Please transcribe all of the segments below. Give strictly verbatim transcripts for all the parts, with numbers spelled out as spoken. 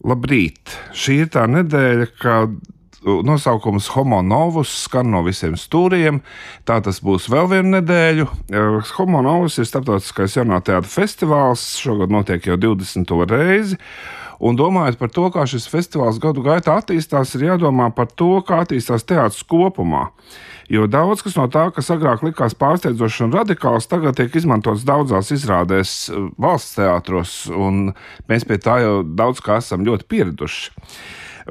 Labrīt! Šī ir tā nedēļa, kad nosaukums Homo Novus skan no visiem stūriem. Tā tas būs vēl vienu nedēļu. Homo Novus ir starptautiskais jaunā teātra festivāls. Šogad notiek jau divdesmito reizi. Un domājot par to, kā šis festivāls gadu gaitā attīstās, ir jādomā par to, kā attīstās teātris kopumā. Jo daudz kas no tā, kas agrāk likās pārsteidzošs un radikāls, tagad tiek izmantots daudzās izrādēs valsts teātros, un mēs pie tā jau daudz kā esam ļoti pieraduši.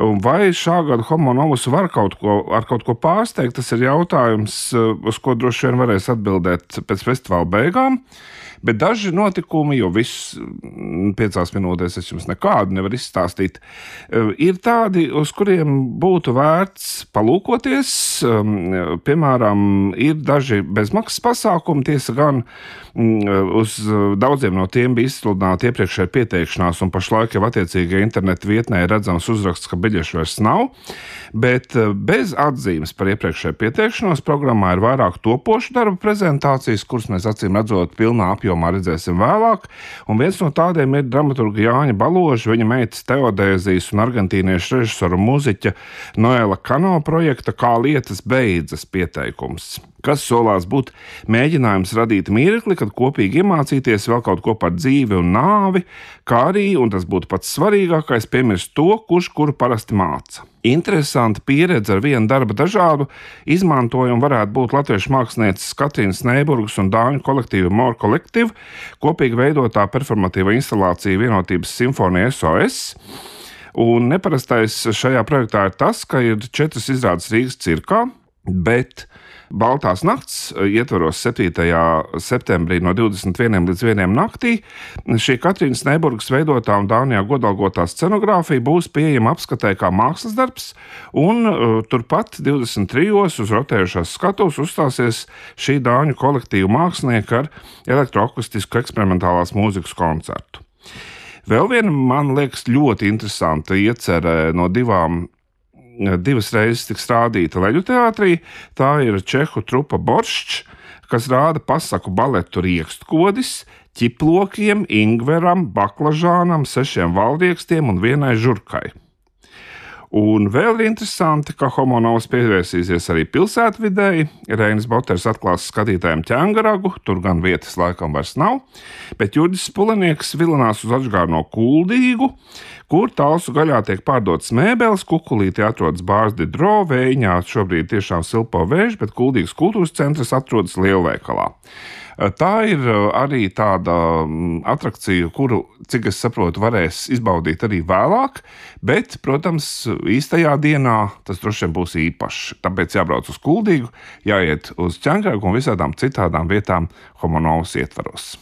Un vai šā gada Homo Novus var kaut ko, ar kaut ko pārsteigt, tas ir jautājums, uz ko droši vien varēs atbildēt pēc festivāla beigām. Bet daži notikumi, jo viss piecās minūtēs es jums nekādu nevaru izstāstīt, ir tādi, uz kuriem būtu vērts palūkoties. Piemēram, ir daži bezmaksas pasākumi, tiesa gan uz daudziem no tiem bija izsludināta iepriekšēja pieteikšanās, un pašlaik jau attiecīgajā interneta vietnē ir redzams uzraksts, ka biļešu vairs nav. Bet bez atzīmes par iepriekšēju pieteikšanos programmā ir vairāk topošu darbu prezentācijas, kuras mēs acīm redzot pilnā apjomā redzēsim vēlāk. Un viens no tādiem ir dramaturga Jāņa Baloža, viņa meitas Teodēzijas un argentīniešu režisora muziķa Noela Kano projekta Kā lietas beidzas pieteikums, kas solās būt mēģinājums radīt mirkli, kad kopīgi iemācīties vēl kaut ko par dzīvi un nāvi, kā arī, un tas būtu pats svarīgākais, piemirst to, kurš kuru parasti māca. Interesanta pieredze ar vienu darba dažādu izmantojumu varētu būt latviešu mākslinieces Katrīnas Neiburgas un dāņu kolektīva More Collective kopīgi veidotā performatīva instalācija Vienotības simfonija S O S. Un neparastais šajā projektā ir tas, ka ir četras izrādes Rīgas cirkā, bet Baltās nakts ietvaros septītajā septembrī no divdesmit vieniem līdz vieniem naktī. Šī Katrīnas Neiburgas veidotā un Dānijā godalgotā scenogrāfija būs pieejama apskatē kā mākslas darbs, un uh, turpat divdesmit trijos uz rotējušās skatuves uzstāsies šī dāņu kolektīva mākslinieka ar elektroakustisku eksperimentālās mūzikas koncertu. Vēl viena, man liekas, ļoti interesanta iecerē no divām divas reizes tiks rādīta Leļu teātrī. Tā ir čehu trupa Borščs, kas rāda pasaku baletu Riekstkodis, ķiplokiem, ingveram, baklažānam, sešiem valdriekstiem un vienai žurkai. Un vēl ir interesanti, ka Homo Novus pievērsīsies arī pilsētvidei. Reinis Boters atklās skatītājiem ķēngaragu, tur gan vietas laikam vairs nav, bet Jurģis Spulenieks vilinās uz Ačgārno Kuldīgu, kur Talsu gaļā tiek pārdotas mēbeles, Kukulītī atrodas bārs Didro, Vējiņā šobrīd tiešām silpo vēž, bet Kuldīgas kultūras centrs atrodas lielveikalā. Tā ir arī tāda atrakcija, kuru, cik es saprotu, varēs izbaudīt arī vēlāk, bet, protams, īstajā dienā tas droši vien būs īpašs. Tāpēc jābrauc uz Kuldīgu, jāiet uz ķēngaragu un visādām citādām vietām Homo Novus ietvaros.